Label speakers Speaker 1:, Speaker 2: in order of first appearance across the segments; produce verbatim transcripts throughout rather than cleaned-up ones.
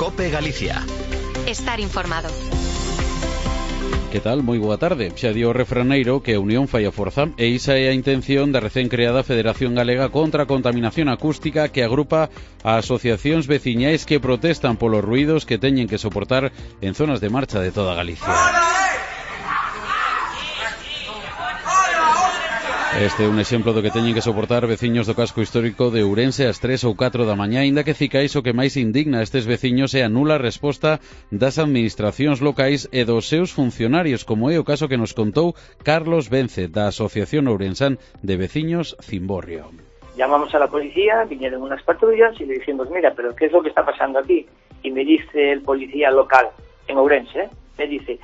Speaker 1: COPE Galicia.
Speaker 2: Estar informado.
Speaker 3: Que tal? Moi boa tarde. Xa dio o refraneiro que a unión fai a forza e isa é a intención da recén creada Federación Galega contra a Contaminación Acústica, que agrupa a asociacións veciñais que protestan polos ruídos que teñen que soportar en zonas de marcha de toda Galicia. Este é un exemplo do que teñen que soportar veciños do casco histórico de Ourense ás tres ou catro da mañá, aínda que cicais o que máis indigna a estes veciños é a nula resposta das administracións locais e dos seus funcionarios, como é o caso que nos contou Carlos Vence, da Asociación Ourensán de Veciños Cimborrio.
Speaker 4: Llamamos a la policía, vinieron unas patrullas y le dijimos, mira, pero ¿qué es lo que está pasando aquí? Y me dice el policía local en Ourense, ¿eh? me dice...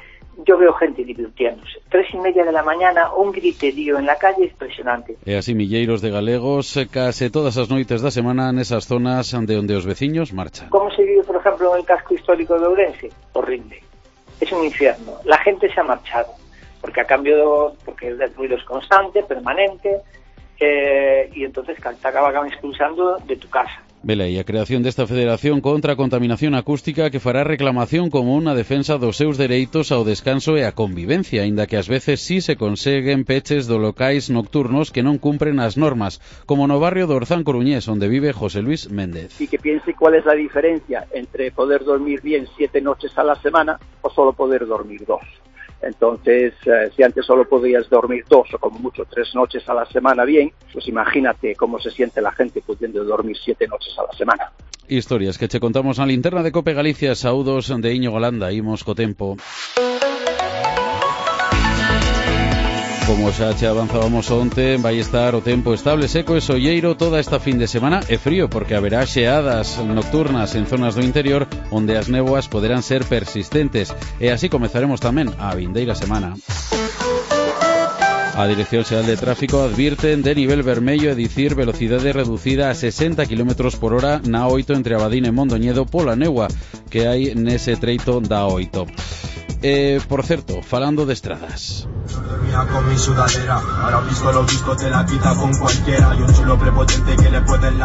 Speaker 4: Yo veo gente divirtiéndose. Tres y media de la mañana, un griterío en la calle impresionante.
Speaker 3: E así milleiros de galegos case todas as noites da semana nesas zonas de onde os veciños marchan.
Speaker 4: ¿Cómo se vive, por ejemplo, en el casco histórico de Ourense? Horrible. Es un infierno. La gente se ha marchado, porque a cambio, porque el ruido es constante, permanente, eh, y entonces te acaban expulsando de tu casa.
Speaker 3: Vela, e a creación desta Federación contra a Contaminación Acústica que fará reclamación como unha defensa dos seus dereitos ao descanso e á convivencia, aínda que ás veces sí se conseguen peches do locais nocturnos que non cumpren as normas, como no barrio do Orzán Coruñés, onde vive José Luis Méndez.
Speaker 5: Y que piense cuál es la diferencia entre poder dormir bien siete noches a la semana o solo poder dormir dos. Entonces, eh, si antes solo podías dormir dos o como mucho tres noches a la semana bien, pues imagínate cómo se siente la gente pudiendo dormir siete noches a la semana.
Speaker 3: Historias que che contamos na linterna de Cope Galicia. Saúdos de Iño Golanda, imos co tempo. Como xa che avanzábamos onte, vai estar o tempo estable, seco e solleiro toda esta fin de semana e frío, porque haberá xeadas nocturnas en zonas do interior onde as néboas poderán ser persistentes. E así comezaremos tamén a vindeira semana. A Dirección Xeral de Tráfico advirten de nivel vermello, é dicir, velocidade reducida a sesenta kilómetros por hora na oito entre Abadín e Mondoñedo pola néboa que hai nese treito da oito. Eh, por certo, falando de estradas.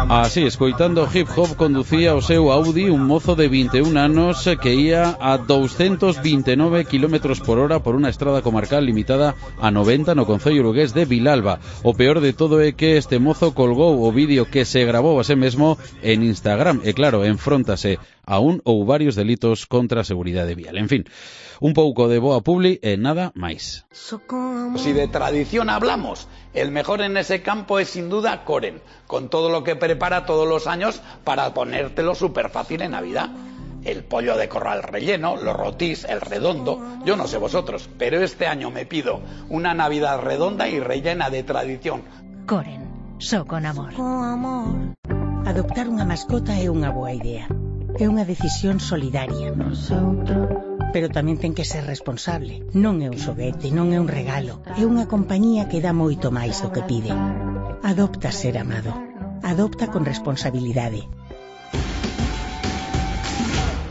Speaker 3: Así, escoitando hip hop, conducía o seu Audi un mozo de vinte e un anos que ia a doscientos veintinueve kilómetros por hora por unha estrada comarcal limitada a noventa no concello lugués de Vilalba. O peor de todo é que este mozo colgou o vídeo que se grabou a sí mesmo en Instagram e claro, enfróntase a un ou varios delitos contra a seguridade vial. En fin, un pouco de boa publi e nada máis.
Speaker 6: Si de tradición hablamos, el mejor en ese campo es sin duda Koren, con todo lo que prepara todos los años para ponértelo súper fácil en Navidad. El pollo de corral relleno, los rotís, el redondo, yo no sé vosotros, pero este año me pido una Navidad redonda y rellena de tradición.
Speaker 7: Koren, só con amor. Adoptar unha mascota é unha boa idea. É unha decisión solidaria. Pero tamén ten que ser responsable. Non é un xoguete, non é un regalo. É unha compañía que dá moito máis do que pide. Adopta ser amado. Adopta con responsabilidade.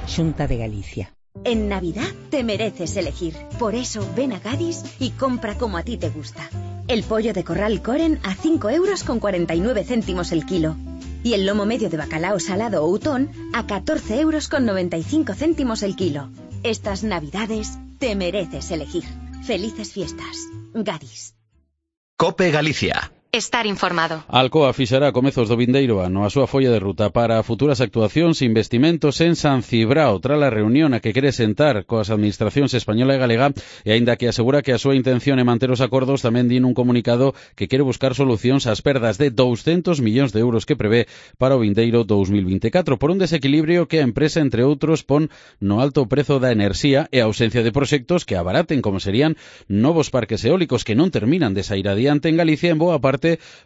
Speaker 7: Xunta de Galicia.
Speaker 8: En Navidad te mereces elegir. Por eso ven a Gadis y compra como a ti te gusta. El pollo de corral Koren a cinco euros con cuarenta y nueve céntimos el kilo. Y el lomo medio de bacalao salado Outón a catorce euros con noventa y cinco céntimos el kilo. Estas Navidades te mereces elegir. Felices fiestas. Gadis.
Speaker 1: COPE Galicia.
Speaker 2: Estar informado.
Speaker 3: Alcoa fixará a comezos do vindeiro ano a súa folla de ruta para futuras actuacións e investimentos en San Cibrao, tras a reunión a que quere sentar coas administracións española e galega, e aínda que asegura que a súa intención é manter os acordos, tamén din un comunicado que quere buscar solucións ás perdas de douscentos millóns de euros que prevé para o vindeiro dous mil vinte e catro, por un desequilibrio que a empresa, entre outros, pon no alto prezo da enerxía e a ausencia de proxectos que abaraten, como serían novos parques eólicos que non terminan de sair adiante en Galicia, en boa parte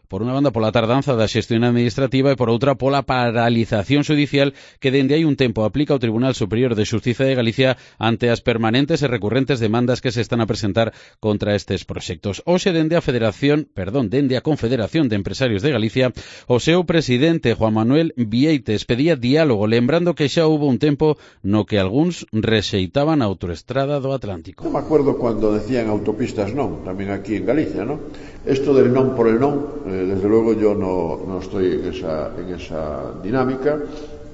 Speaker 3: por unha banda pola tardanza da xestión administrativa e por outra pola paralización judicial que dende hai un tempo aplica o Tribunal Superior de Xustiza de Galicia ante as permanentes e recurrentes demandas que se están a presentar contra estes proxectos. Hoxe dende a Federación, perdón, dende a Confederación de Empresarios de Galicia, o seu presidente Juan Manuel Vieites pedía diálogo, lembrando que xa hubo un tempo no que algúns rexeitaban a autoestrada do Atlántico.
Speaker 9: Non me acuerdo cando decían autopistas non, tamén aquí en Galicia, ¿no? Esto del non por el non, eh, desde luego yo no, no estoy en esa, en esa dinámica.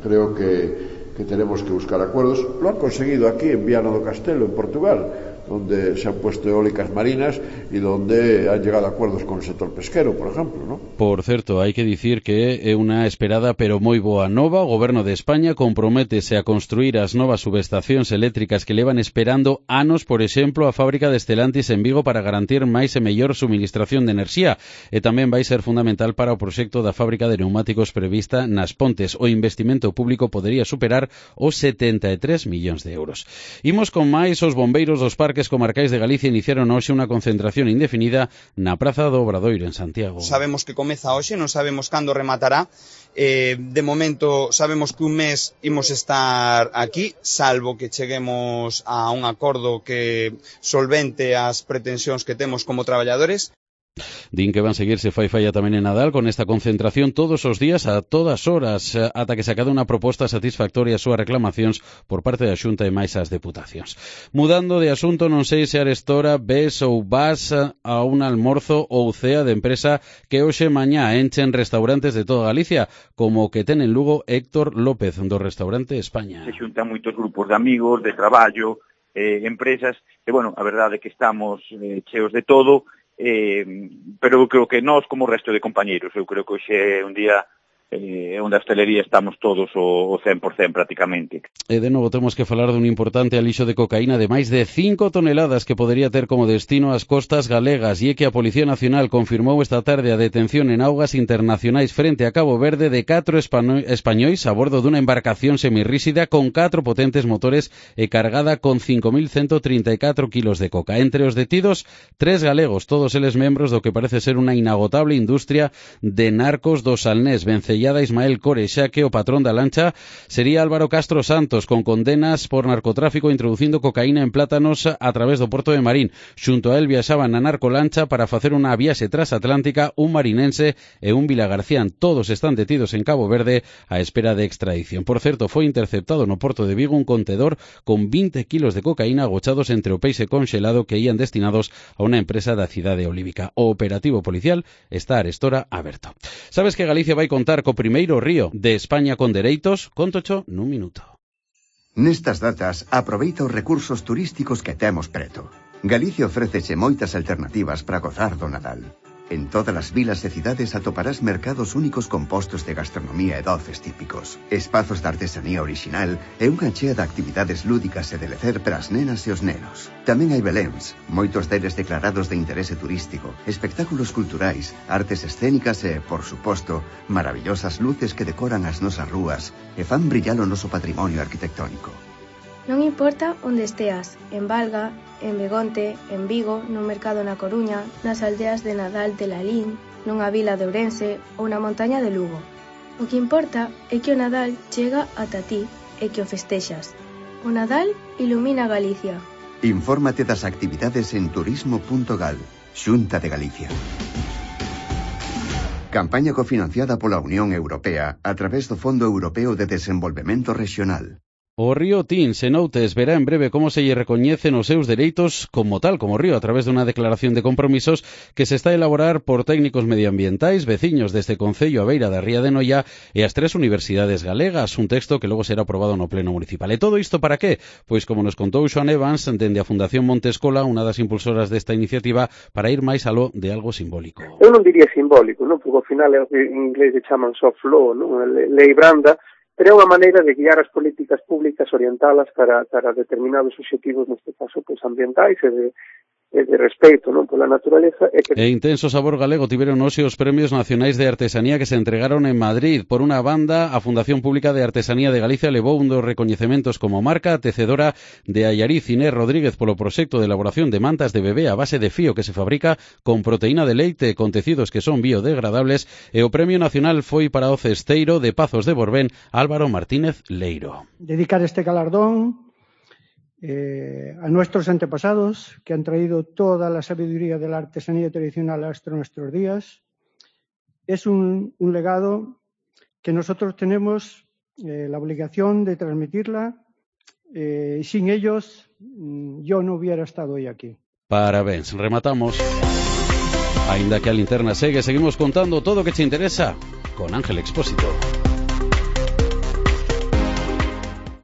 Speaker 9: Creo que, que tenemos que buscar acuerdos. Lo han conseguido aquí en Viana do Castelo, en Portugal, donde se han puesto eólicas marinas y donde han llegado a acuerdos con el sector pesquero, por ejemplo, ¿no?
Speaker 3: Por certo, hai que dicir que é unha esperada pero moi boa nova. O Goberno de España comprométese a construir as novas subestacións eléctricas que levan esperando anos, por exemplo, a fábrica de Stellantis en Vigo para garantir máis e mellor suministración de enerxía, e tamén vai ser fundamental para o proxecto da fábrica de neumáticos prevista nas Pontes. O investimento público podería superar os setenta e tres millóns de euros. Imos con máis. Os bombeiros dos parques comarcais de Galicia iniciaron hoxe unha concentración indefinida na Praza do Obradoiro en Santiago.
Speaker 10: Sabemos que comeza hoxe, non sabemos cando rematará. Eh, de momento sabemos que un mes imos estar aquí, salvo que cheguemos a un acordo que solvente as pretensións que temos como traballadores.
Speaker 3: Din que van seguirse fai falla tamén en Nadal con esta concentración todos os días a todas horas ata que se acade unha proposta satisfactoria ás súas reclamacións por parte da Xunta e máis as deputacións. Mudando de asunto, non sei se arestora ves ou vas a un almorzo ou cea de empresa que hoxe mañá enchen restaurantes de toda Galicia, como o que ten en Lugo Héctor López do restaurante España.
Speaker 11: Se xuntan moitos grupos de amigos, de traballo, eh, empresas, e bueno, a verdade é que estamos eh, cheos de todo. Eh, pero eu creo que nós, como o resto de compañeiros, eu creo que hoxe é un día eh, onde a hostelería estamos todos o, o cen por cen prácticamente.
Speaker 3: E de novo temos que falar dun importante alixo de cocaína de máis de cinco toneladas que podería ter como destino as costas galegas, e é que a Policía Nacional confirmou esta tarde a detención en augas internacionais frente a Cabo Verde de catro españois a bordo dunha embarcación semirríxida con catro potentes motores e cargada con cinco mil ciento trinta e catro kilos de coca. Entre os detidos, tres galegos, todos eles membros do que parece ser unha inagotable industria de narcos do Salnés. Vencellada Ismael Core, xa que o patrón da lancha sería Álvaro Castro Santos, con condenas por narcotráfico introducindo cocaína en plátanos a través do porto de Marín. Xunto a él viaxaban na narcolancha para facer unha viaxe transatlántica un marinense e un vilagarcián. Todos están detidos en Cabo Verde á espera de extradición. Por certo, foi interceptado no porto de Vigo un contedor con vinte kilos de cocaína agochados entre o peixe conxelado que ían destinados a unha empresa da cidade olívica. O operativo policial está arestora aberto. Sabes que Galicia vai contar co primeiro río de España con dereitos? Contocho nun minuto.
Speaker 12: Nestas datas, aproveita os recursos turísticos que temos preto. Galicia ofréceche moitas alternativas para gozar do Nadal. En todas as vilas e cidades atoparás mercados únicos compostos de gastronomía e doces típicos, espazos de artesanía orixinal e unha chea de actividades lúdicas e de lecer para as nenas e os nenos. Tamén hai beléns, moitos deles declarados de interese turístico, espectáculos culturais, artes escénicas e, por suposto, maravillosas luces que decoran as nosas rúas e fan brillar o noso patrimonio arquitectónico.
Speaker 13: Non importa onde esteas, en Valga, en Begonte, en Vigo, no mercado na Coruña, nas aldeas de Nadal de Lalín, nunha vila de Ourense ou na montaña de Lugo. O que importa é que o Nadal chega ata ti e que o festexas. O Nadal ilumina Galicia.
Speaker 12: Infórmate das actividades en turismo punto gal, Xunta de Galicia. Campaña cofinanciada pola Unión Europea a través do Fondo Europeo de Desenvolvemento Regional.
Speaker 3: O río Tins, en Outes, verá en breve como se lle recoñecen os seus dereitos como tal, como río, a través dunha declaración de compromisos que se está a elaborar por técnicos medioambientais, veciños deste concello a beira da ría de Noia e as tres universidades galegas, un texto que logo será aprobado no pleno municipal. E todo isto para qué? Pois como nos contou Xoan Evans, dende a Fundación Montescola, unha das impulsoras desta iniciativa, para ir máis aló de algo simbólico.
Speaker 14: Eu non diría simbólico, non? Porque ao final é o que en inglés se chaman soft law, non? Lei branda, pero é unha maneira de guiar as políticas públicas, orientalas para, para determinados obxectivos, neste caso, pues, ambientais e de, e de respeito, non, pola naturaleza. E, que...
Speaker 3: e intenso sabor galego tiveron hoxe os Premios Nacionais de Artesanía que se entregaron en Madrid. Por unha banda, a Fundación Pública de Artesanía de Galicia levou un dos recoñecementos como marca tecedora de Allariz Inés Rodríguez polo proxecto de elaboración de mantas de bebé a base de fío que se fabrica con proteína de leite con tecidos que son biodegradables, e o Premio Nacional foi para o cesteiro de Pazos de Borbén, Álvaro Martínez Leiro.
Speaker 15: Dedicar este galardón Eh, a nuestros antepasados que han traído toda la sabiduría de la artesanía tradicional hasta nuestros días. Es un, un legado que nosotros tenemos eh, la obligación de transmitirla eh, y sin ellos yo no hubiera estado hoy aquí.
Speaker 3: Parabéns, rematamos. Ainda que a linterna segue, seguimos contando todo o que te interesa con Ángel Expósito.